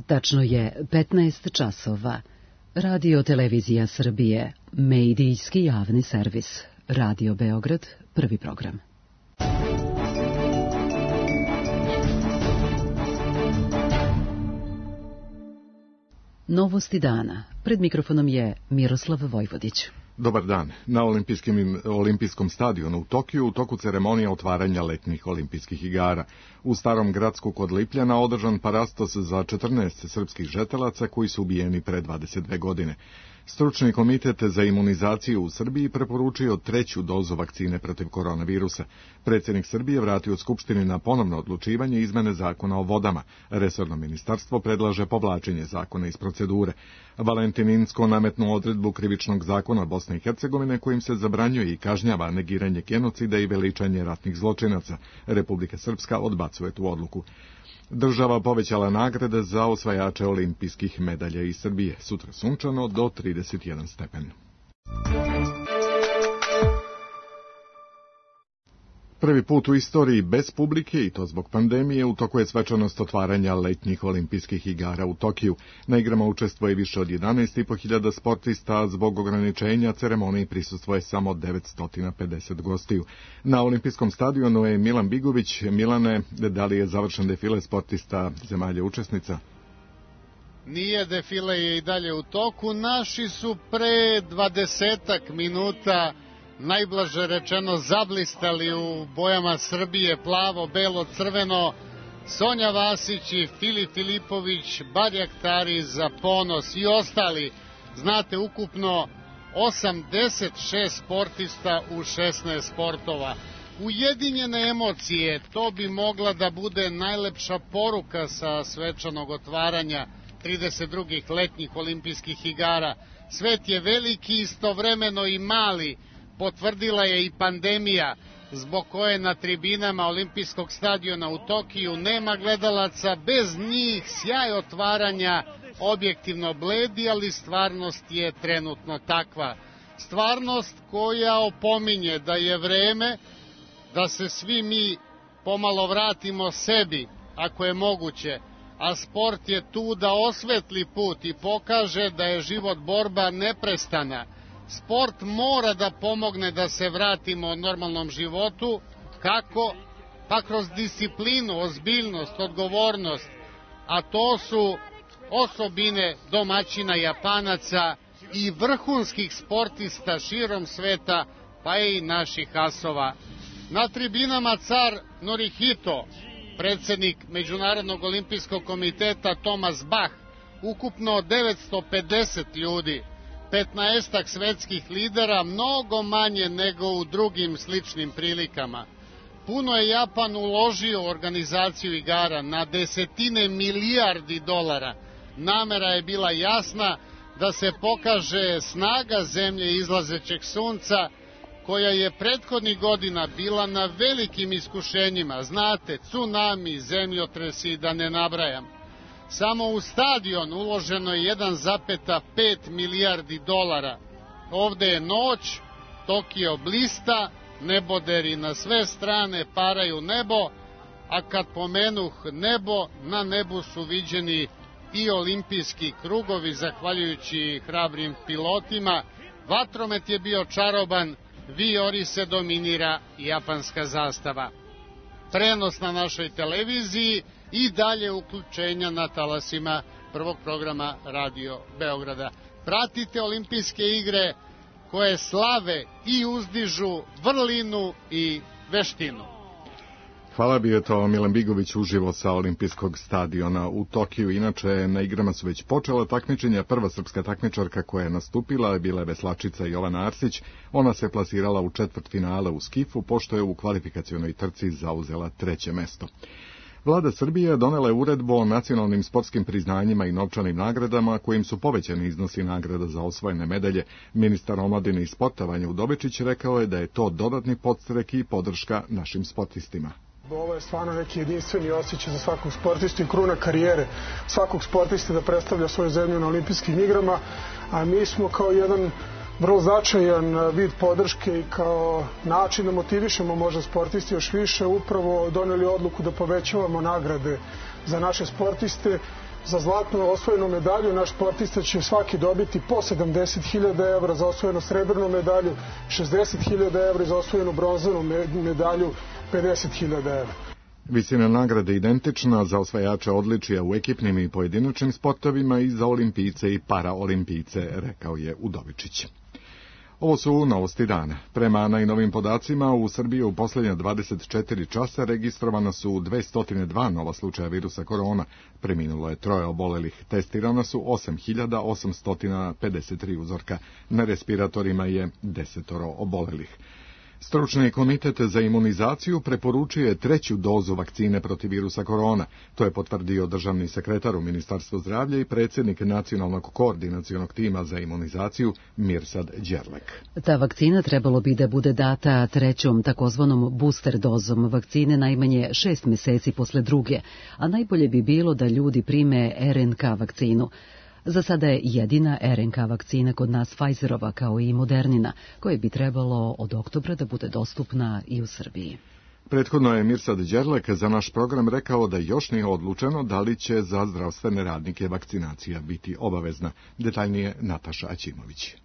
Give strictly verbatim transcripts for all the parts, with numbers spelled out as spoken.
Tačno je petnaest časova. Radio Televizija Srbije, medijski javni servis. Radio Beograd, prvi program. Novosti dana. Pred mikrofonom je Miroslav Vojvodić. Dobar dan. Na olimpijskim, olimpijskom stadionu u Tokiju u toku ceremonija otvaranja letnjih olimpijskih igara. U Starom Gradsku kod Lipljana održan parastos za četrnaest srpskih žetelaca koji su ubijeni pre dvadeset dve godine. Stručni komitet za imunizaciju u Srbiji preporučio treću dozu vakcine protiv koronavirusa. Predsjednik Srbije vratio Skupštini na ponovno odlučivanje izmene zakona o vodama. Resorno ministarstvo predlaže povlačenje zakona iz procedure. Valentin Incko nametnuo odredbu krivičnog zakona Bosne i Hercegovine kojim se zabranjuje i kažnjava negiranje genocida i veličanje ratnih zločinaca. Republika Srpska odbacuje tu odluku. Država povećala nagrade za osvajače olimpijskih medalja iz Srbije. Sutra sunčano do trideset jedan stepen. Prvi put u istoriji bez publike, i to zbog pandemije, u toku je svečanost otvaranja letnjih olimpijskih igara u Tokiju. Na igrama učestvuje više od jedanaest i po hiljada sportista, a zbog ograničenja ceremoniji prisustvuje samo devetsto pedeset gostiju. Na olimpijskom stadionu je Milan Bigović. Milane, da li je završen defile sportista zemalja učesnica? Nije, defile je i dalje u toku. Naši su pre dvadesetak minuta najblaže rečeno zablistali u bojama Srbije, plavo, belo, crveno. Sonja Vasić i Filip Filipović, Barjak Tari za ponos i ostali. Znate, ukupno osamdeset šest sportista u šesnaest sportova. Ujedinjene emocije, to bi mogla da bude najlepša poruka sa svečanog otvaranja trideset drugih letnjih olimpijskih igara. Svet je veliki, istovremeno i mali. Potvrdila je i pandemija, zbog koje na tribinama olimpijskog stadiona u Tokiju nema gledalaca. Bez njih sjaj otvaranja objektivno bledi, ali stvarnost je trenutno takva. Stvarnost koja opominje da je vreme da se svi mi pomalo vratimo sebi, ako je moguće, a sport je tu da osvetli put i pokaže da je život borba neprestana. Sport mora da pomogne da se vratimo normalnom životu. Kako? Pa kroz disciplinu, ozbiljnost, odgovornost, a to su osobine domaćina Japanaca i vrhunskih sportista širom sveta, pa i naših asova. Na tribinama car Norihito, predsjednik Međunarodnog olimpijskog komiteta Thomas Bach, ukupno devetsto pedeset ljudi, petnaestak svetskih lidera, mnogo manje nego u drugim sličnim prilikama. Puno je Japan uložio u organizaciju igara, na desetine milijardi dolara. Namera je bila jasna da se pokaže snaga zemlje izlazećeg sunca, koja je prethodnih godina bila na velikim iskušenjima. Znate, tsunami, zemljotresi, da ne nabrajam. Samo u stadion uloženo je jedan zarez pet milijardi dolara. Ovde je noć, Tokio blista, neboderi na sve strane paraju nebo, a kad pomenuh nebo, na nebu su viđeni i olimpijski krugovi, zahvaljujući hrabrim pilotima. Vatromet je bio čaroban, vijori se dominira japanska zastava. Prenos na našoj televiziji i dalje uključenja na talasima prvog programa Radio Beograda. Pratite olimpijske igre koje slave i uzdižu vrlinu i veštinu. Hvala, bio je to Milan Bigović uživo sa olimpijskog stadiona u Tokiju. Inače, na igrama su već počela takmičenja. Prva srpska takmičarka koja je nastupila bila je veslačica Jovana Arsić. Ona se plasirala u četvrtfinale u skifu, pošto je u kvalifikacionoj trci zauzela treće mesto. Vlada Srbije donela je uredbu o nacionalnim sportskim priznanjima i novčanim nagradama, kojim su povećani iznosi nagrada za osvojene medalje. Ministar omladine i sporta Vanja Udovičić rekao je da je to dodatni podstrek i podrška našim sportistima. Ovo je stvarno neki jedinstveni osjećaj za svakog sportistu i kruna karijere svakog sportista da predstavlja svoju zemlju na olimpijskim igrama, a mi smo kao jedan vrlo značajan vid podrške i kao način da motivišemo možda sportisti još više upravo doneli odluku da povećavamo nagrade za naše sportiste Za zlatnu osvojenu medalju naš sportista će svaki dobiti po sedamdeset hiljada evra, za osvojenu srebrnu medalju šezdeset hiljada evra i za osvojenu bronzanu medalju pedeset hiljada evra. Visina nagrade identična za osvajače odličija u ekipnim i pojedinačnim sportovima i za olimpijce i paraolimpijce, rekao je Udovičić. Ovo su novosti dana. Prema najnovim podacima, u Srbiji u posljednja dvadeset četiri časa registrovana su dvesta dva nova slučaja virusa korona, preminulo je troje obolelih, testirana su osam hiljada osamsto pedeset tri uzorka, na respiratorima je desetoro obolelih. Stručni komitet za imunizaciju preporučuje treću dozu vakcine protiv virusa korona. To je potvrdio državni sekretar u Ministarstvu zdravlja i predsjednik Nacionalnog koordinacionog tima za imunizaciju Mirsad Đerlek. Ta vakcina trebalo bi da bude data trećom takozvanom booster dozom vakcine najmanje šest meseci posle druge, a najbolje bi bilo da ljudi prime er en ka vakcinu. Za sada je jedina er en ka vakcina kod nas Pfizerova kao i Modernina, koje bi trebalo od oktobra da bude dostupna i u Srbiji. Prethodno je Mirsad Đerlek za naš program rekao da još nije odlučeno da li će za zdravstvene radnike vakcinacija biti obavezna. Detaljnije Nataša Aćimović.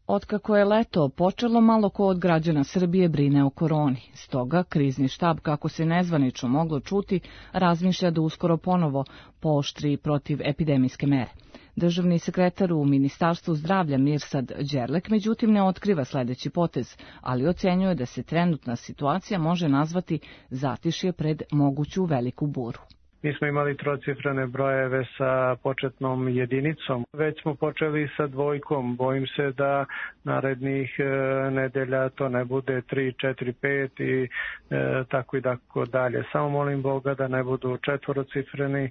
Otkako je leto počelo, malo ko od građana Srbije brine o koroni. Stoga, krizni štab, kako se nezvanično moglo čuti, razmišlja da uskoro ponovo pooštri protiv epidemijske mere. Državni sekretar u Ministarstvu zdravlja Mirsad Đerlek međutim ne otkriva sledeći potez, ali ocenjuje da se trenutna situacija može nazvati zatišje pred moguću veliku buru. Mi smo imali trocifrene brojeve sa početnom jedinicom. Već smo počeli sa dvojkom. Bojim se da narednih e, nedelja to ne bude tri, četiri, pet i e, tako i tako dalje. Samo molim Boga da ne budu četvorocifreni e,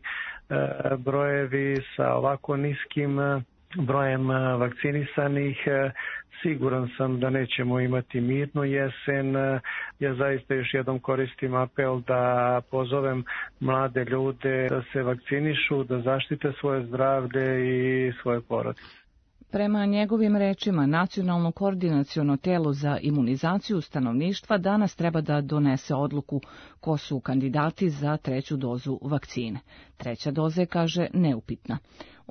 brojevi sa ovako niskim e, brojem vakcinisanih. Siguran sam da nećemo imati mirnu jesen. Ja zaista još jednom koristim apel da pozovem mlade ljude da se vakcinišu, da zaštite svoje zdravlje i svoje porodice. Prema njegovim rečima, Nacionalno koordinaciono telo za imunizaciju stanovništva danas treba da donese odluku ko su kandidati za treću dozu vakcine. Treća doza je, kaže, neupitna.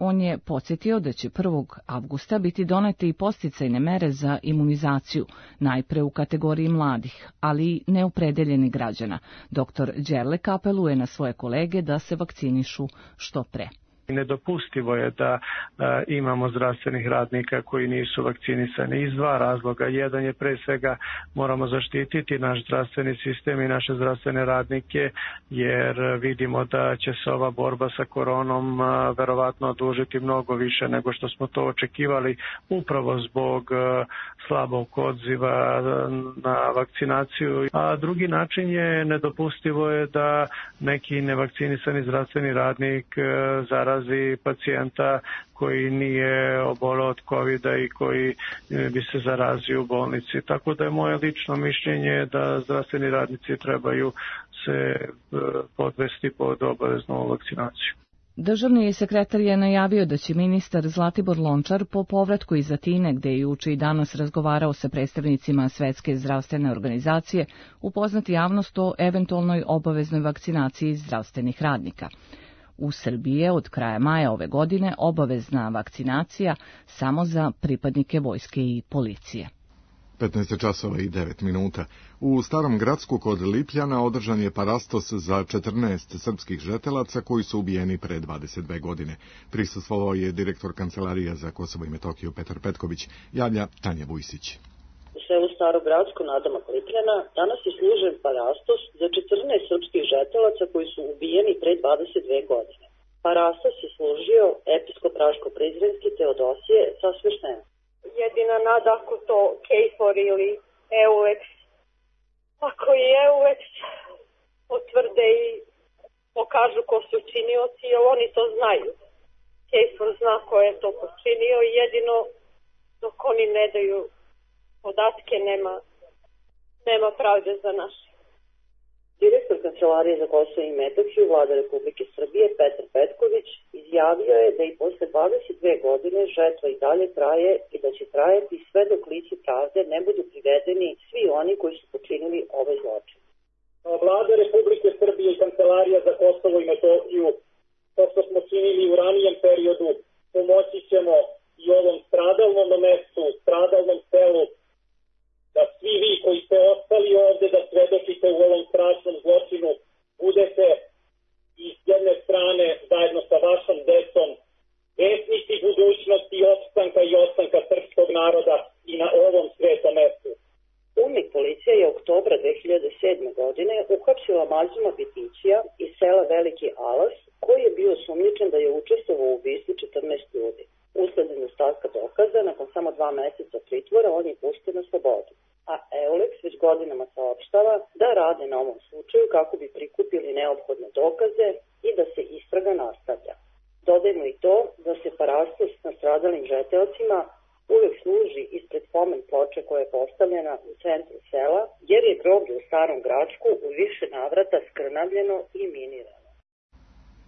On je podsjetio da će prvog avgusta biti donete i podsticajne mere za imunizaciju, najpre u kategoriji mladih, ali i neopredeljeni građana. Doktor Đerlek apeluje na svoje kolege da se vakcinišu što pre. Nedopustivo je da a, imamo zdravstvenih radnika koji nisu vakcinisani iz dva razloga. Jedan je pre svega moramo zaštititi naš zdravstveni sistem i naše zdravstvene radnike, jer vidimo da će se ova borba sa koronom a, verovatno odužiti mnogo više nego što smo to očekivali, upravo zbog a, slabog odziva na vakcinaciju. A drugi način je nedopustivo je da neki nevakcinisani zdravstveni radnik a, zarazi pacijenta koji nije oboleo od kovida i koji bi se zarazio u bolnici. Tako da je moje lično mišljenje da zdravstveni radnici trebaju se podvesti pod obaveznu vakcinaciju. Državni sekretar je najavio da će ministar Zlatibor Lončar po povratku iz Atine, gde je juče i danas razgovarao sa predstavnicima Svetske zdravstvene organizacije, upoznati javnost o eventualnoj obaveznoj vakcinaciji zdravstvenih radnika. U Srbiji je od kraja maja ove godine obavezna vakcinacija samo za pripadnike vojske i policije. petnaest časova i devet minuta. U Starom Gradsku kod Lipljana održan je parastos za četrnaest srpskih žetelaca koji su ubijeni pre dvadeset dve godine. Prisustvovao je direktor Kancelarija za Kosovo i Metohiju Petar Petković, javlja Tanja Vujsić. U selu Starogradsko nadomak Lipljana danas je služen parastos za četrnaest srpskih žetelaca koji su ubijeni pre dvadeset dve godine. Parastos je služio episkop-raško-prizrenski Teodosije sa sveštenom. Jedina nada ako to KFOR ili EULEX, ako i EULEX potvrde i pokažu ko su činioci, jer oni to znaju. KFOR zna ko je to počinio i jedino dok oni ne daju podatke nema, nema pravde za naše. Direktor Kancelarije za Kosovo i Metohiju Vlade Republike Srbije Petar Petković izjavio je da i posle dvadeset dve godine žetva i dalje traje i da će trajati sve dok lice pravde ne budu privedeni svi oni koji su počinili ove zločine. Vlada Republike Srbije i Kancelarija za Kosovo i Metohiju kao što smo činili u ranijem periodu, pomoći ćemo i ovom stradalnom mestu, stradalnom selu, da svi vi koji ste ostali ovde da svedočite u ovom strašnom zločinu, budete i s jedne strane zajedno sa vašom decom vesnici budućnosti, opstanka i ostanka srpskog naroda i na ovom svetom mestu. UNMIK policija je oktobra dve hiljade sedme. godine uhapsila Mazuma Bitićija iz sela Veliki Alas, koji je bio sumnjičen da je učestvovao u ubistvu četrnaest ljudi. Usled nedostatka dokaza, nakon samo dva meseca pritvora, on je pušten na slobodu. A Euleks već godinama saopštava da rade na ovom slučaju kako bi prikupili neophodne dokaze i da se istraga nastavlja. Dodajmo i to da se parastos na stradalim žeteocima uvek služi ispred pomen ploče koja je postavljena u centru sela, jer je groblje u Starom Gračku u više navrata skrnavljeno i minirano.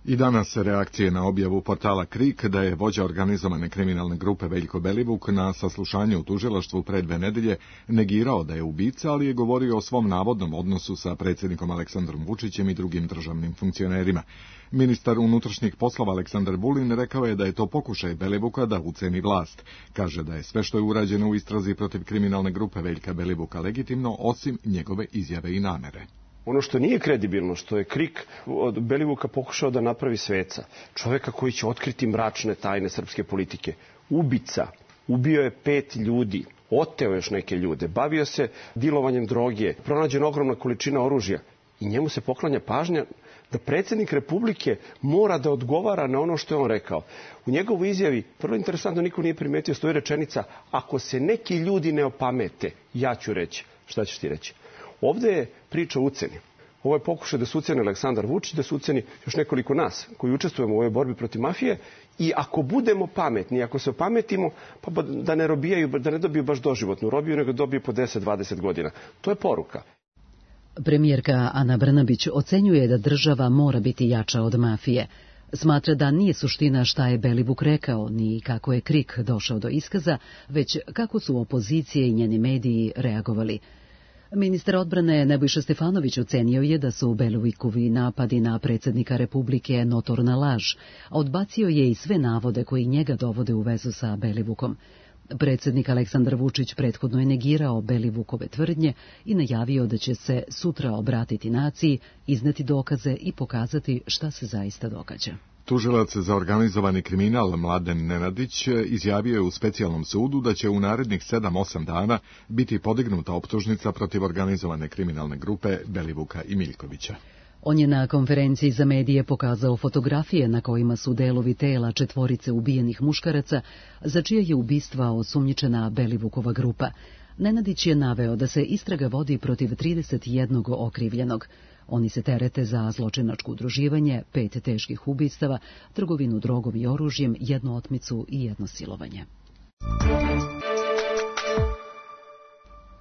I danas reakcije na objavu portala Krik da je vođa organizovane kriminalne grupe Veljko Belivuk na saslušanju u tužilaštvu pre dve nedelje negirao da je ubica, ali je govorio o svom navodnom odnosu sa predsjednikom Aleksandrom Vučićem i drugim državnim funkcionerima. Ministar unutrašnjih poslova Aleksandar Vulin rekao je da je to pokušaj Belivuka da uceni vlast. Kaže da je sve što je urađeno u istrazi protiv kriminalne grupe Veljka Belivuka legitimno, osim njegove izjave i namere. Ono što nije kredibilno, što je Krik od Belivuka pokušao da napravi sveca, čoveka koji će otkriti mračne tajne srpske politike, ubica, ubio je pet ljudi, oteo još neke ljude, bavio se dilovanjem droge, pronađena ogromna količina oružja i njemu se poklanja pažnja da predsjednik Republike mora da odgovara na ono što je on rekao. U njegovoj izjavi, vrlo interesantno, niko nije primetio, stoji rečenica: ako se neki ljudi ne opamete, ja ću reći. Šta ćeš ti reći? Ovde je priča o uceni. Ovo je pokušaj da se uceni Aleksandar Vučić, da se uceni još nekoliko nas koji učestvujemo u ovoj borbi protiv mafije, i ako budemo pametni, ako se opametimo, pa da ne robijaju, da ne dobiju baš doživotnu robiju, nego dobiju po deset do dvadeset godina. To je poruka. Premijerka Ana Brnabić ocenjuje da država mora biti jača od mafije. Smatra da nije suština šta je Belivuk rekao, ni kako je Krik došao do iskaza, već kako su opozicije i njeni mediji reagovali. Ministar odbrane Nebojša Stefanović ocenio je da su Belivukovi napadi na predsjednika Republike notorna laž, a odbacio je i sve navode koji njega dovode u vezu sa Belivukom. Predsjednik Aleksandar Vučić prethodno je negirao Belivukove tvrdnje i najavio da će se sutra obratiti naciji, izneti dokaze i pokazati šta se zaista događa. Tužilac za organizovani kriminal Mladen Nenadić izjavio je u specijalnom sudu da će u narednih sedam osam dana biti podignuta optužnica protiv organizovane kriminalne grupe Belivuka i Miljkovića. On je na konferenciji za medije pokazao fotografije na kojima su delovi tela četvorice ubijenih muškaraca, za čije je ubistva osumnjičena Belivukova grupa. Nenadić je naveo da se istraga vodi protiv trideset jednog okrivljenog. Oni se terete za zločinačko udruživanje, pet teških ubistava, trgovinu drogom i oružjem, jednu otmicu i jedno silovanje.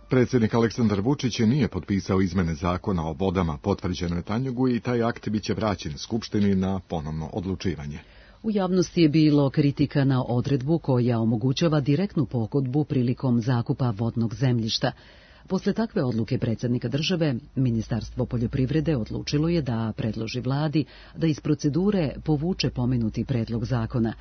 Predsjednik Aleksandar Vučić nije potpisao izmene zakona o vodama potvrđene Tanjugu i taj akt biće vraćen Skupštini na ponovno odlučivanje. U javnosti je bilo kritika na odredbu koja omogućava direktnu pogodbu prilikom zakupa vodnog zemljišta. Posle takve odluke predsjednika države, Ministarstvo poljoprivrede odlučilo je da predloži vladi da iz procedure povuče pomenuti predlog zakona.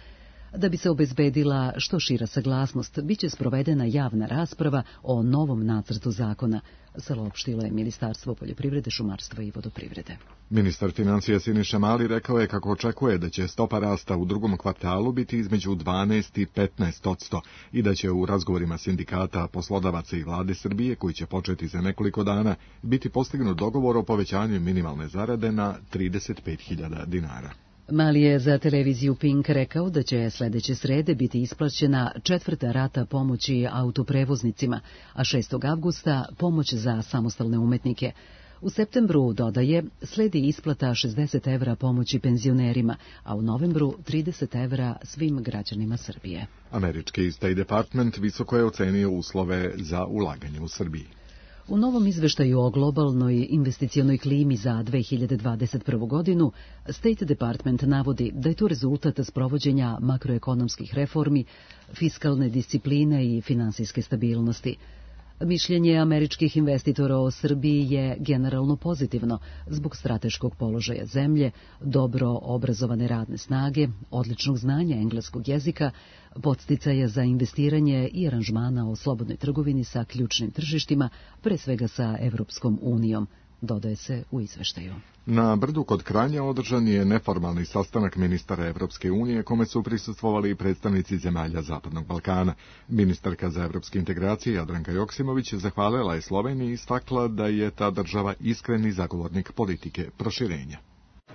Da bi se obezbedila što šira saglasnost, biće sprovedena javna rasprava o novom nacrtu zakona, saopštilo je Ministarstvo poljoprivrede, šumarstva i vodoprivrede. Ministar financija Siniša Mali rekao je kako očekuje da će stopa rasta u drugom kvartalu biti između dvanaest i petnaest posto i da će u razgovorima sindikata, poslodavaca i vlade Srbije, koji će početi za nekoliko dana, biti postignut dogovor o povećanju minimalne zarade na trideset pet hiljada dinara. Mali je za televiziju Pink rekao da će sledeće srede biti isplaćena četvrta rata pomoći autoprevoznicima, a šestog avgusta pomoć za samostalne umetnike. U septembru, dodaje, sledi isplata šezdeset evra pomoći penzionerima, a u novembru trideset evra svim građanima Srbije. Američki State Department visoko je ocenio uslove za ulaganje u Srbiji. U novom izveštaju o globalnoj investicionoj klimi za dve hiljade dvadeset prvu. godinu, State Department navodi da je to rezultat sprovođenja makroekonomskih reformi, fiskalne discipline i finansijske stabilnosti. Mišljenje američkih investitora o Srbiji je generalno pozitivno zbog strateškog položaja zemlje, dobro obrazovane radne snage, odličnog znanja engleskog jezika, podsticaja za investiranje i aranžmana o slobodnoj trgovini sa ključnim tržištima, pre svega sa Evropskom unijom, dodaje se u izveštaju. Na Brdu kod Kranja održan je neformalni sastanak ministara Evropske unije kome su prisustvovali predstavnici zemalja Zapadnog Balkana. Ministarka za evropske integracije Jadranka Joksimović zahvalila je Sloveniji i istakla da je ta država iskreni zagovornik politike proširenja.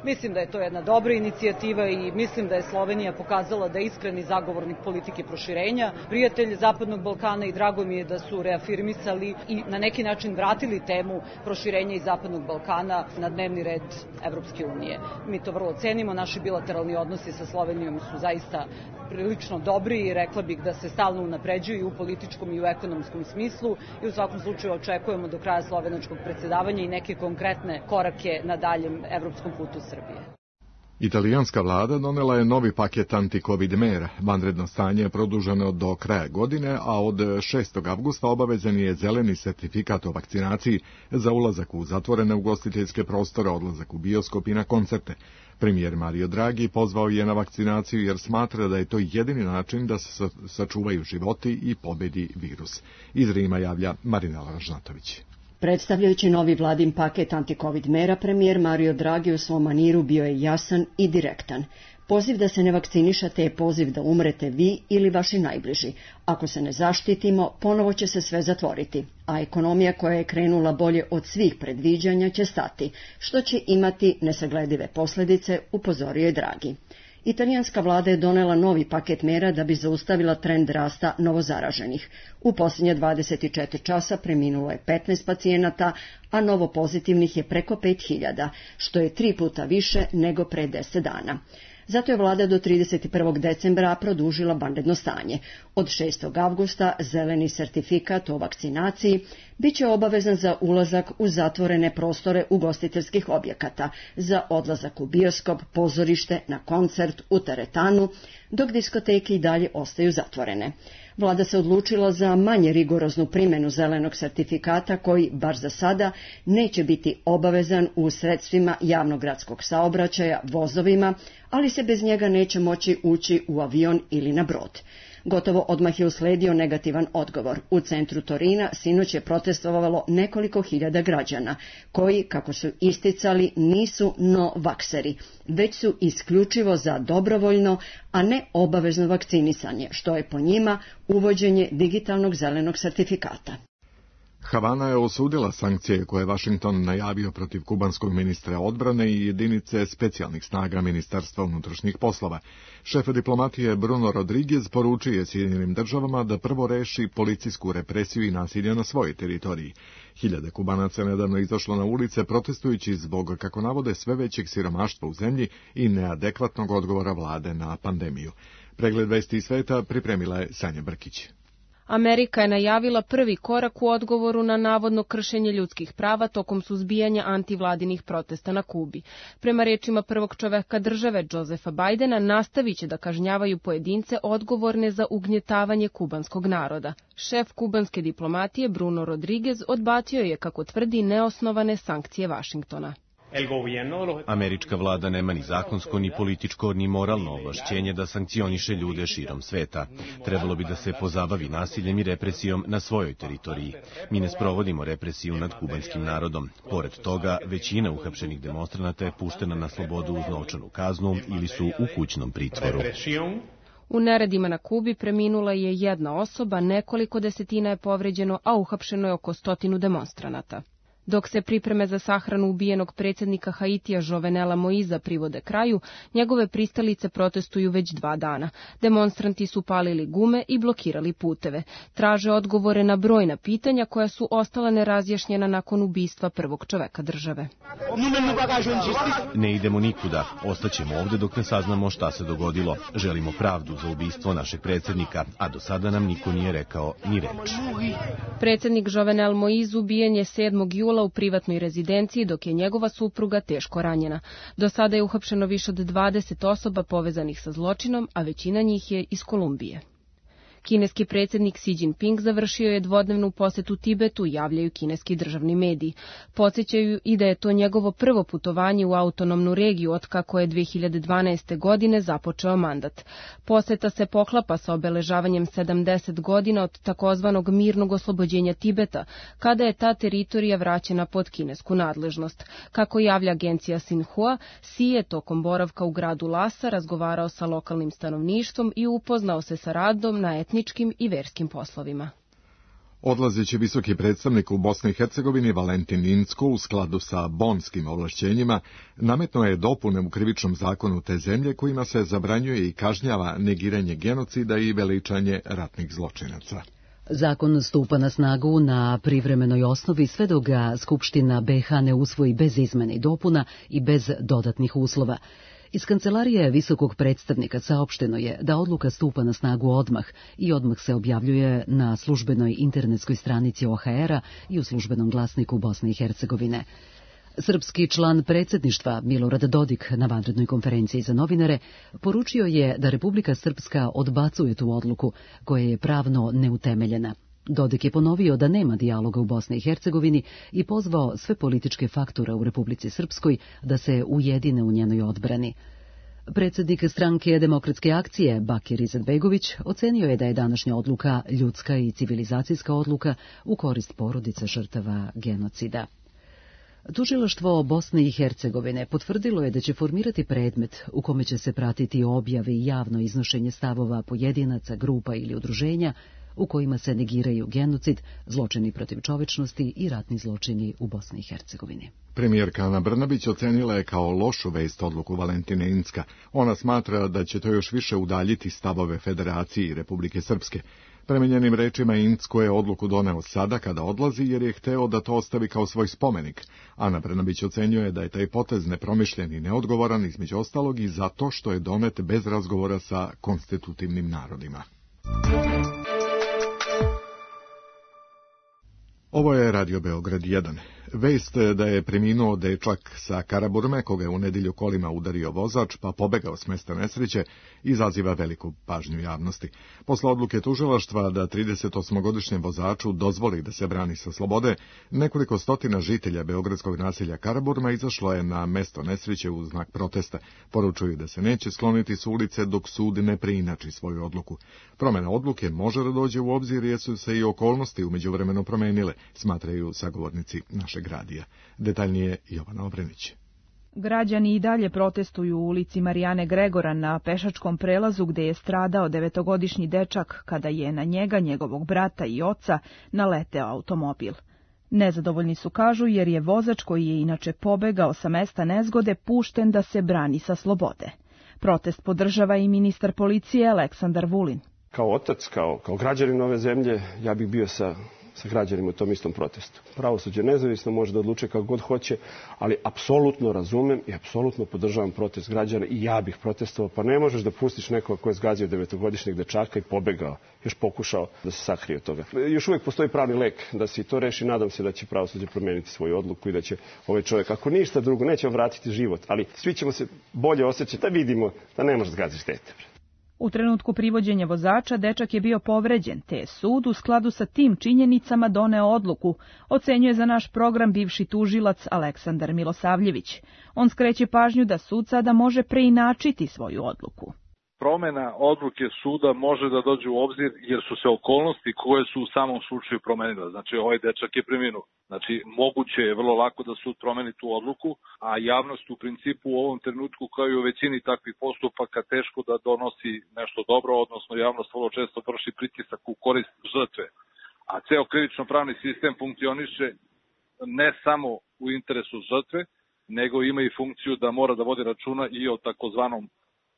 Mislim da je to jedna dobra inicijativa i mislim da je Slovenija pokazala da je iskreni zagovornik politike proširenja, prijatelj Zapadnog Balkana i drago mi je da su reafirmisali i na neki način vratili temu proširenja iz Zapadnog Balkana na dnevni red Evropske unije. Mi to vrlo cenimo, naši bilateralni odnosi sa Slovenijom su zaista prilično dobri i rekla bih da se stalno unapređuju u političkom i u ekonomskom smislu i u svakom slučaju očekujemo do kraja slovenačkog predsjedavanja i neke konkretne korake na daljem evropskom putu Srbije. Italijanska vlada donela je novi paket anti-covid mera. Vanredno stanje je produženo do kraja godine, a od šestog avgusta obavezan je zeleni sertifikat o vakcinaciji za ulazak u zatvorene ugostiteljske prostore, odlazak u bioskop i na koncerte. Premijer Mario Draghi pozvao je na vakcinaciju jer smatra da je to jedini način da se sačuvaju životi i pobedi virus. Iz Rima javlja Marinela Ražnatović. Predstavljajući novi vladin paket anti-covid mera, premijer Mario Draghi u svom maniru bio je jasan i direktan. Poziv da se ne vakcinišate je poziv da umrete vi ili vaši najbliži. Ako se ne zaštitimo, ponovo će se sve zatvoriti, a ekonomija koja je krenula bolje od svih predviđanja će stati, što će imati nesagledive posljedice, upozorio je Draghi. Italijanska vlada je donela novi paket mera da bi zaustavila trend rasta novozaraženih. U posljednje dvadeset četiri časa preminulo je petnaest pacijenata, a novopozitivnih je preko pet hiljada, što je tri puta više nego pre deset dana. Zato je vlada do trideset prvog decembra produžila vanredno stanje. Od šestog avgusta zeleni sertifikat o vakcinaciji biće obavezan za ulazak u zatvorene prostore ugostiteljskih objekata, za odlazak u bioskop, pozorište, na koncert, u teretanu, dok diskoteke i dalje ostaju zatvorene. Vlada se odlučila za manje rigoroznu primjenu zelenog sertifikata koji, bar za sada, neće biti obavezan u sredstvima javnog gradskog saobraćaja, vozovima, ali se bez njega neće moći ući u avion ili na brod. Gotovo odmah je usledio negativan odgovor. U centru Torina sinoć je protestovalo nekoliko hiljada građana, koji, kako su isticali, nisu no-vakseri, već su isključivo za dobrovoljno, a ne obavezno vakcinisanje, što je po njima uvođenje digitalnog zelenog sertifikata. Havana je osudila sankcije koje je Vašington najavio protiv kubanskog ministra odbrane i jedinice specijalnih snaga Ministarstva unutrašnjih poslova. Šef diplomatije Bruno Rodriguez poručio je Sjedinjenim državama da prvo reši policijsku represiju i nasilje na svojoj teritoriji. Hiljade Kubanaca nedavno izašlo na ulice protestujući zbog, kako navode, sve većeg siromaštva u zemlji i neadekvatnog odgovora vlade na pandemiju. Pregled vesti iz sveta pripremila je Sanja Brkić. Amerika je najavila prvi korak u odgovoru na navodno kršenje ljudskih prava tokom suzbijanja antivladinih protesta na Kubi. Prema rečima prvog čoveka države, Josefa Bajdena, nastavit će da kažnjavaju pojedince odgovorne za ugnjetavanje kubanskog naroda. Šef kubanske diplomatije Bruno Rodriguez odbacio je, kako tvrdi, neosnovane sankcije Vašingtona. Američka vlada nema ni zakonsko, ni političko, ni moralno ovlašćenje da sankcioniše ljude širom sveta. Trebalo bi da se pozabavi nasiljem i represijom na svojoj teritoriji. Mi ne sprovodimo represiju nad kubanskim narodom. Pored toga, većina uhapšenih demonstranata je puštena na slobodu uz novčanu kaznu ili su u kućnom pritvoru. U neredima na Kubi preminula je jedna osoba, nekoliko desetina je povređeno, a uhapšeno je oko stotinu demonstranata. Dok se pripreme za sahranu ubijenog predsjednika Haitija Jovenela Moiza privode kraju, njegove pristalice protestuju već dva dana. Demonstranti su palili gume i blokirali puteve. Traže odgovore na brojna pitanja koja su ostala nerazjašnjena nakon ubistva prvog čoveka države. Ne idemo nikuda. Ostaćemo ovdje dok ne saznamo šta se dogodilo. Želimo pravdu za ubistvo našeg predsjednika, a do sada nam niko nije rekao ni reč. Predsjednik Jovenel Moiz ubijen je sedmog jula u privatnoj rezidenciji, dok je njegova supruga teško ranjena. Do sada je uhapšeno više od dvadeset osoba povezanih sa zločinom, a većina njih je iz Kolumbije. Kineski predsjednik Xi Jinping završio je dvodnevnu posetu Tibetu, javljaju kineski državni mediji. Podsjećaju i da je to njegovo prvo putovanje u autonomnu regiju otkako je dve hiljade dvanaeste. godine započeo mandat. Poseta se poklapa sa obeležavanjem sedamdeset godina od takozvanog mirnog oslobođenja Tibeta, kada je ta teritorija vraćena pod kinesku nadležnost. Kako javlja agencija Xinhua, Xi je tokom boravka u gradu Lhasa razgovarao sa lokalnim stanovništvom i upoznao se sa radom na etničkim i verskim poslovima. Odlazeći visoki predstavnik u Bosni i Hercegovini Valentin Incko u skladu sa bonskim ovlašćenjima nametnuo je dopune u krivičnom zakonu te zemlje kojima se zabranjuje i kažnjava negiranje genocida i veličanje ratnih zločinaca. Zakon stupa na snagu na privremenoj osnovi sve dok ga Skupština be ha ne usvoji bez izmene i dopuna i bez dodatnih uslova. Iz kancelarije visokog predstavnika saopšteno je da odluka stupa na snagu odmah i odmah se objavljuje na službenoj internetskoj stranici o ha era i u službenom glasniku Bosne i Hercegovine. Srpski član predsjedništva Milorad Dodik na vanrednoj konferenciji za novinare poručio je da Republika Srpska odbacuje tu odluku koja je pravno neutemeljena. Dodik je ponovio da nema dijaloga u Bosni i Hercegovini i pozvao sve političke faktore u Republici Srpskoj da se ujedine u njenoj odbrani. Predsjednik stranke Demokratske akcije Bakir Izetbegović ocenio je da je današnja odluka ljudska i civilizacijska odluka u korist porodice žrtava genocida. Tužilaštvo Bosne i Hercegovine potvrdilo je da će formirati predmet u kome će se pratiti objave i javno iznošenje stavova pojedinaca, grupa ili udruženja u kojima se negiraju genocid, zločini protiv čovečnosti i ratni zločini u Bosni i Hercegovini. Premijerka Ana Brnabić ocenila je kao lošu vest odluku Valentine Incka. Ona smatra da će to još više udaljiti stavove Federacije i Republike Srpske. Prema njenim rečima, Incko je odluku doneo sada kada odlazi jer je hteo da to ostavi kao svoj spomenik. Ana Brnabić ocenjuje da je taj potez nepromišljen i neodgovoran, između ostalog i zato što je donet bez razgovora sa konstitutivnim narodima. Ovo je Radio Beograd jedan. Vest da je preminuo dečak sa Karaburme, koga je u nedjelju kolima udario vozač pa pobegao s mesta nesreće, izaziva veliku pažnju javnosti. Posle odluke tužilaštva da tridesetosmogodišnjem vozaču dozvoli da se brani sa slobode, nekoliko stotina žitelja beogradskog naselja Karaburma izašlo je na mesto nesreće u znak protesta. Poručuju da se neće skloniti s ulice dok sud ne preinači svoju odluku. Promjena odluke može da dođe u obzir jer su se i okolnosti u međuvremenu promenile, smatraju sagovornici našeg radija. Detaljnije Jovana Obrenić. Građani i dalje protestuju u ulici Marijane Gregora na pešačkom prelazu gde je stradao devetogodišnji dečak kada je na njega, njegovog brata i oca naleteo automobil. Nezadovoljni su, kažu, jer je vozač koji je inače pobegao sa mesta nezgode pušten da se brani sa slobode. Protest podržava i ministar policije Aleksandar Vulin. Kao otac, kao, kao građanin ove zemlje, ja bih bio sa sa građanima u tom istom protestu. Pravosuđe nezavisno može da odluče kako god hoće, ali apsolutno razumem i apsolutno podržavam protest građana i ja bih protestovao, pa ne možeš da pustiš nekoga ko je zgazio devetogodišnjeg dečaka i pobegao, još pokušao da se sakrije od toga. Još uvijek postoji pravni lek da se to reši, nadam se da će pravosuđe promijeniti svoju odluku i da će ovaj čovjek, ako ništa drugo, neće vratiti život, ali svi ćemo se bolje osjećati da vidimo da ne možeš zgaziš dete. U trenutku privođenja vozača dečak je bio povređen, te je sud u skladu sa tim činjenicama doneo odluku, ocenjuje za naš program bivši tužilac Aleksandar Milosavljević. On skreće pažnju da sud sada može preinačiti svoju odluku. Promjena odluke suda može da dođe u obzir jer su se okolnosti koje su u samom slučaju promenile. Znači, ovaj dečak je preminuo. Znači, moguće je vrlo lako da sud promeni tu odluku, a javnost u principu u ovom trenutku, kao i u većini takvih postupaka, teško da donosi nešto dobro, odnosno javnost vrlo često vrši pritisak u korist žrtve. A ceo krivično-pravni sistem funkcioniše ne samo u interesu žrtve, nego ima i funkciju da mora da vodi računa i o takozvanom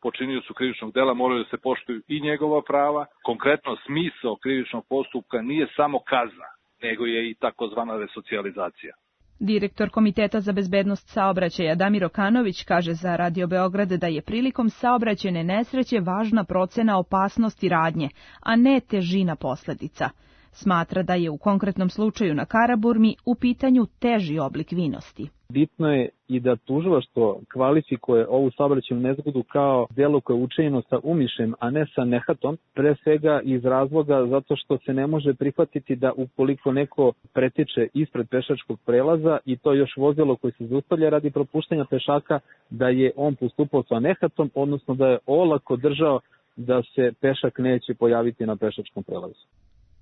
počiniocu krivičnog dela, moraju da se poštuju i njegova prava. Konkretno, smisao krivičnog postupka nije samo kazna, nego je i takozvana resocijalizacija. Direktor Komiteta za bezbednost saobraćaja Damir Okanović kaže za Radio Beograd da je prilikom saobraćajne nesreće važna procena opasnosti radnje, a ne težina posledica. Smatra da je u konkretnom slučaju na Karaburmi u pitanju teži oblik vinosti. Bitno je i da tužilaštvo kvalifikuje ovu saobraćajnu nezgodu kao delo koje je učinjeno sa umišljem, a ne sa nehatom, pre svega iz razloga zato što se ne može prihvatiti da ukoliko neko pretiče ispred pešačkog prelaza i to još vozilo koje se zaustavlja radi propuštanja pešaka, da je on postupao sa nehatom, odnosno da je olako držao da se pešak neće pojaviti na pešačkom prelazu.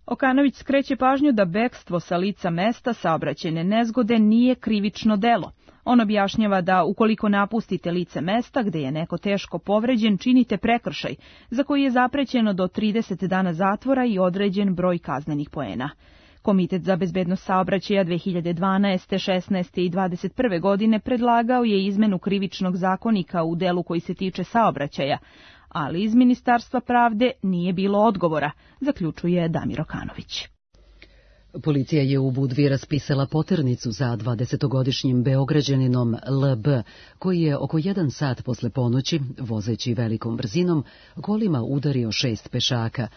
Okanović skreće pažnju da bekstvo sa lica mesta saobraćajne nezgode nije krivično delo. On objašnjava da ukoliko napustite lice mesta gde je neko teško povređen, činite prekršaj, za koji je zaprećeno do trideset dana zatvora i određen broj kaznenih poena. Komitet za bezbednost saobraćaja dve hiljade dvanaeste, šesnaeste i dvadeset prve godine predlagao je izmenu krivičnog zakonika u delu koji se tiče saobraćaja, ali iz Ministarstva pravde nije bilo odgovora, zaključuje Damir Okanović. Policija je u Budvi raspisala poternicu za dvadesetogodišnjim Beograđaninom L B, koji je oko jedan sat posle ponoći, vozeći velikom brzinom, kolima udario šest pešaka.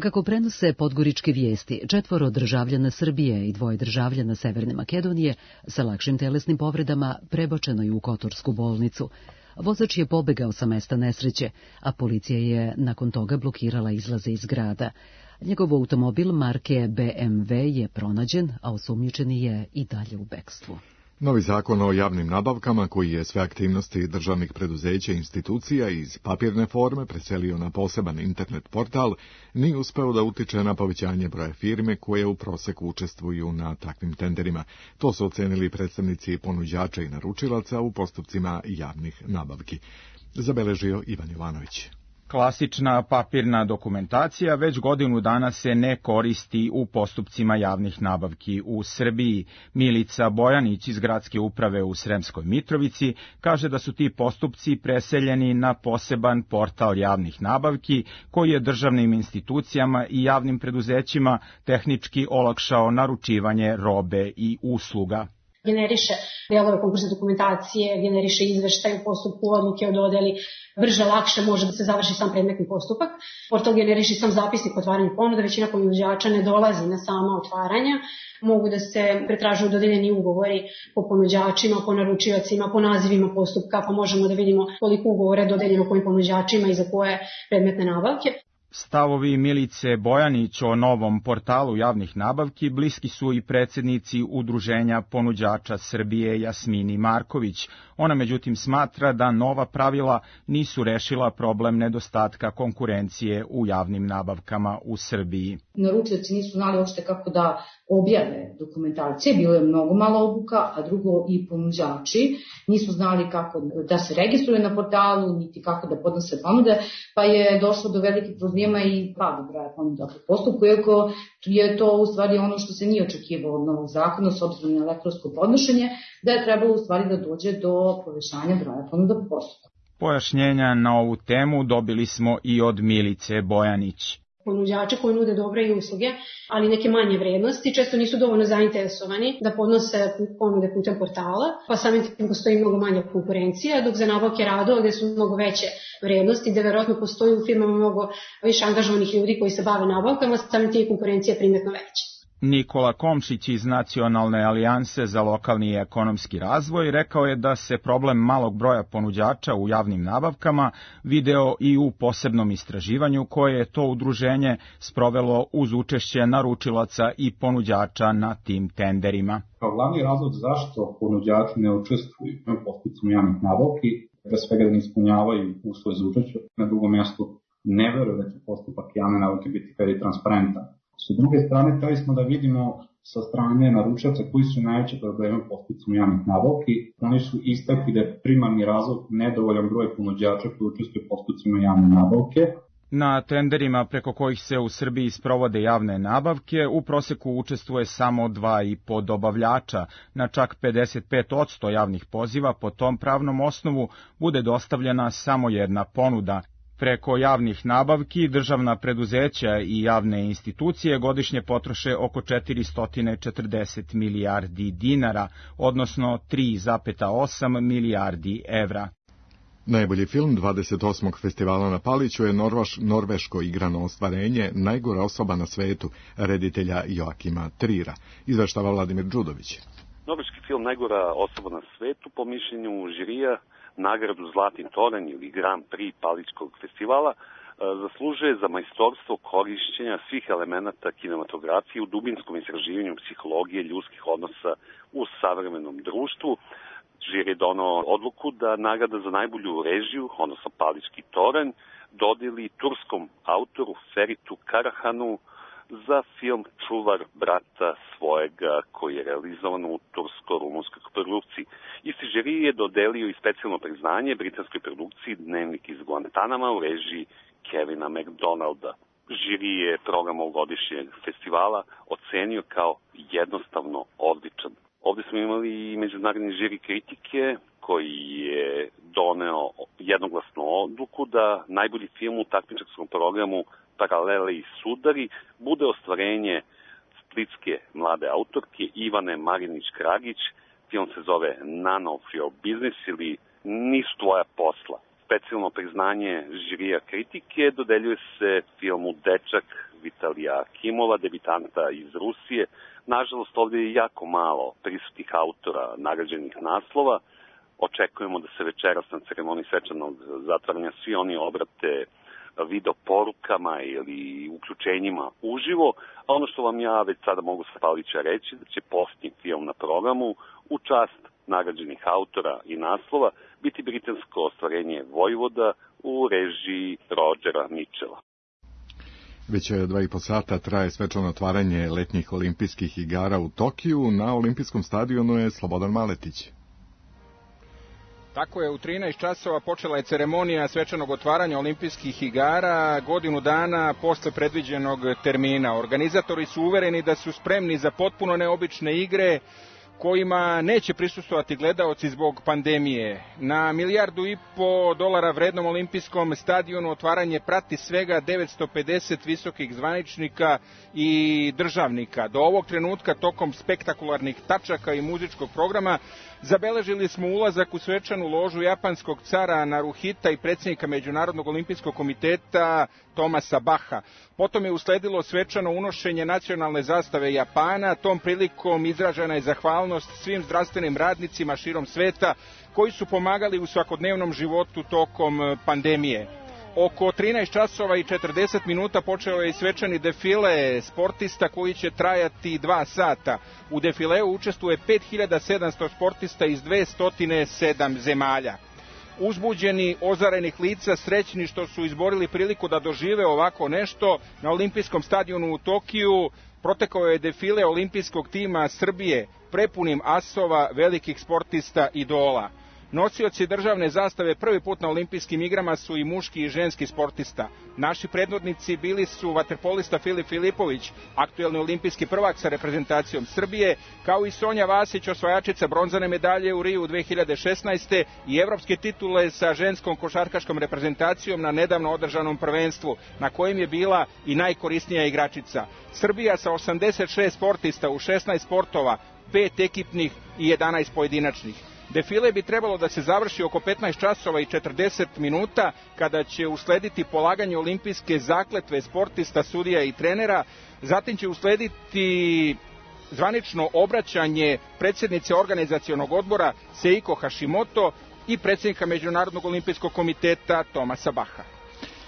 Kako prenose podgoričke vijesti, četvoro državljana Srbije i dvoje državljana Severne Makedonije sa lakšim telesnim povredama prebačeno je u Kotorsku bolnicu. Vozač je pobegao sa mesta nesreće, a policija je nakon toga blokirala izlaze iz grada. Njegov automobil marke B M W je pronađen, a osumnjičeni je i dalje u bekstvu. Novi zakon o javnim nabavkama, koji je sve aktivnosti državnih preduzeća i institucija iz papirne forme preselio na poseban internet portal, nije uspeo da utiče na povećanje broja firme koje u proseku učestvuju na takvim tenderima. To su ocenili predstavnici ponuđača i naručilaca u postupcima javnih nabavki. Zabeležio Ivan Jovanović. Klasična papirna dokumentacija već godinu dana se ne koristi u postupcima javnih nabavki u Srbiji. Milica Bojanić iz Gradske uprave u Sremskoj Mitrovici kaže da su ti postupci preseljeni na poseban portal javnih nabavki koji je državnim institucijama i javnim preduzećima tehnički olakšao naručivanje robe i usluga. Generiše delove konkursne dokumentacije, generiše izveštaj u postupku, odluke o dodeli, brže, lakše može da se završi sam predmetni postupak. Portal generiše sam zapisnik otvaranja ponuda, većina ponuđača ne dolazi na sama otvaranja, mogu da se pretražuju dodeljeni ugovori po ponuđačima, po naručiocima, po nazivima postupka, pa možemo da vidimo koliko ugovora je dodeljeno kojim ponuđačima i za koje predmetne nabavke. Stavovi Milice Bojanić o novom portalu javnih nabavki bliski su i predsjednici Udruženja ponuđača Srbije Jasmini Marković. Ona međutim smatra da nova pravila nisu rešila problem nedostatka konkurencije u javnim nabavkama u Srbiji. Naručioci nisu znali uopšte kako da objave dokumentacije, bilo je mnogo malo obuka, a drugo i ponuđači nisu znali kako da se registruju na portalu, niti kako da podnose ponude, pa je došlo do velikih problema i pada broja ponuda po postupku, iako je to u stvari ono što se nije očekivalo od novog zakona s obzirom na elektronsko podnošenje, da je trebalo u stvari da dođe do povećanja broja ponuda po postupku. Pojašnjenja na ovu temu dobili smo i od Milice Bojanić. Ponuđače koji nude dobre i usluge, ali neke manje vrednosti, često nisu dovoljno zainteresovani da podnose ponude putem portala, pa samim tim postoji mnogo manja konkurencija, dok za nabavke radova gde su mnogo veće vrednosti, gde verovatno postoji u firmama mnogo više angažovanih ljudi koji se bave nabavkama, samim tim konkurencija je primetno veća. Nikola Komšić iz Nacionalne alijanse za lokalni i ekonomski razvoj rekao je da se problem malog broja ponuđača u javnim nabavkama video i u posebnom istraživanju koje je to udruženje sprovelo uz učešće naručilaca i ponuđača na tim tenderima. Kao glavni razlog zašto ponuđači ne učestvuju u postupcima javnih nabavki, pre svega da ne ispunjavaju uslove za učešće, na drugom mjestu ne veruju da će postupak javne nabavke biti fer i transparentan. S druge strane, hteli smo da vidimo sa strane naručioca koji su najveće probleme u postupcima javnih nabavki. Oni su istakli da je primarni razlog nedovoljan broj ponuđača koji učestvuju u postupcima javne nabavke. Na tenderima preko kojih se u Srbiji sprovode javne nabavke u proseku učestvuje samo dva i po dobavljača. Na čak pedeset pet posto javnih poziva po tom pravnom osnovu bude dostavljena samo jedna ponuda. Preko javnih nabavki državna preduzeća i javne institucije godišnje potroše oko četiristo četrdeset milijardi dinara, odnosno tri zarez osam milijardi evra. Najbolji film dvadeset osmog festivala na Paliću je Norvaš, norveško igrano ostvarenje Najgora osoba na svetu, reditelja Joakima Trira, izveštava Vladimir Đudović. Norveški film Najgora osoba na svetu po mišljenju žirija nagradu Zlatni toranj ili Grand Prix Paličkog festivala zaslužuje za majstorstvo korišćenja svih elemenata kinematografije u dubinskom istraživanju psihologije ljudskih odnosa u savremenom društvu. Žiri je donao odluku da nagrada za najbolju režiju, odnosno Palički toranj, dodeli turskom autoru Feritu Karahanu za film Čuvar brata svojega, koji je realizovan u tursko-rumunskoj produkciji. Isti žiri je dodelio i specijalno priznanje britanskoj produkciji Dnevnik iz Guantanama u režiji Kevina McDonalda. Žiri je program ovogodišnjeg festivala ocenio kao jednostavno odličan. Ovde smo imali i međunarodni žiri kritike koji je doneo jednoglasnu odluku da najbolji film u takmičarskom programu Paralele i sudari bude ostvarenje splitske mlade autorke Ivane Marinić-Kragić. Film se zove None of Your Business ili Nisu tvoja posla. Specijalno priznanje žirija kritike dodeljuje se filmu Dečak Vitalija Akimova, debitanta iz Rusije. Nažalost, ovdje je jako malo prisutnih autora nagrađenih naslova. Očekujemo da se večeras na ceremoniji svečanog zatvaranja svi oni obrate video porukama ili uključenjima uživo, a ono što vam ja već sada mogu sa Palića reći, da će posljednji film na programu u čast nagrađenih autora i naslova biti britansko ostvarenje Vojvoda u režiji Rodgera Mitchella. Već dva i po sata traje svečano otvaranje letnjih olimpijskih igara u Tokiju. Na olimpijskom stadionu je Slobodan Maletić. Tako je, u trinaest časova počela je ceremonija svečanog otvaranja olimpijskih igara, godinu dana posle predviđenog termina. Organizatori su uvereni da su spremni za potpuno neobične igre kojima neće prisustvovati gledaoci zbog pandemije. Na milijardu i po dolara vrednom olimpijskom stadionu otvaranje prati svega devetsto pedeset visokih zvaničnika i državnika. Do ovog trenutka, tokom spektakularnih tačaka i muzičkog programa, zabeležili smo ulazak u svečanu ložu japanskog cara Naruhita i predsjednika Međunarodnog olimpijskog komiteta Tomasa Baha. Potom je usledilo svečano unošenje nacionalne zastave Japana. Tom prilikom izražena je zahvalnost svim zdravstvenim radnicima širom sveta koji su pomagali u svakodnevnom životu tokom pandemije. Oko trinaest časova i četrdeset minuta počeo je i svečani defile sportista koji će trajati dva sata. U defileu učestvuje pet hiljada sedamsto sportista iz dvesta sedam zemalja. Uzbuđeni, ozarenih lica, srećni što su izborili priliku da dožive ovako nešto, na olimpijskom stadionu u Tokiju protekao je defile olimpijskog tima Srbije, prepunim asova, velikih sportista, idola. Nosioci državne zastave prvi put na olimpijskim igrama su i muški i ženski sportista. Naši predvodnici bili su vaterpolista Filip Filipović, aktuelni olimpijski prvak sa reprezentacijom Srbije, kao i Sonja Vasić, osvajačica bronzane medalje u Riju dve hiljade šesnaeste i evropske titule sa ženskom košarkaškom reprezentacijom na nedavno održanom prvenstvu, na kojem je bila i najkorisnija igračica. Srbija sa osamdeset šest sportista u šesnaest sportova, pet ekipnih i jedanaest pojedinačnih. Defile bi trebalo da se završi oko petnaest časova i četrdeset minuta, kada će uslediti polaganje olimpijske zakletve sportista, sudija i trenera. Zatim će uslediti zvanično obraćanje predsjednice organizacionog odbora Seiko Hashimoto i predsjednika Međunarodnog olimpijskog komiteta Tomasa Baha.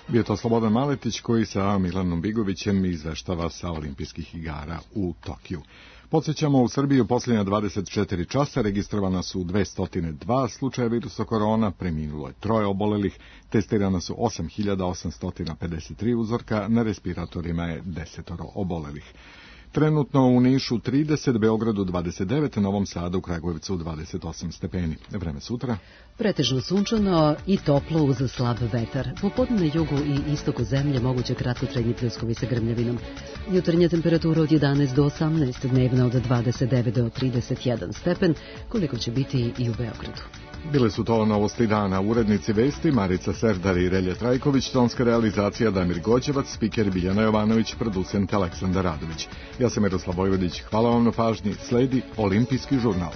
Bio to Slobodan Maletić koji sa Milanom Bigovićem izveštava sa olimpijskih igara u Tokiju. Podsjećamo, u Srbiji u posljednja dvadeset četiri časa registrovana su dvesta dva slučaja virusa korona, preminulo je troje obolelih, testirana su osam hiljada osamsto pedeset tri uzorka, na respiratorima je desetoro obolelih. Trenutno u Nišu trideset, Beogradu dvadeset devet, Novom Sadu, Kragujevcu dvadeset osam stepeni. Vreme sutra? Pretežno sunčano i toplo uz slab vetar. Popodne na jugu i istoku zemlje moguće kratkotrajni pljuskovi sa grmljavinom. Jutarnja temperatura od jedanaest do osamnaest, dnevna od dvadeset devet do trideset jedan stepen, koliko će biti i u Beogradu. Bile su to novosti dana. Urednici vesti Marica Serdar i Relja Trajković, tonska realizacija Damir Gođevac, spiker Biljana Jovanović, producent Aleksandar Radović. Ja sam Miroslav Vojvodić. Hvala vam na pažnji. Sledi Olimpijski žurnal.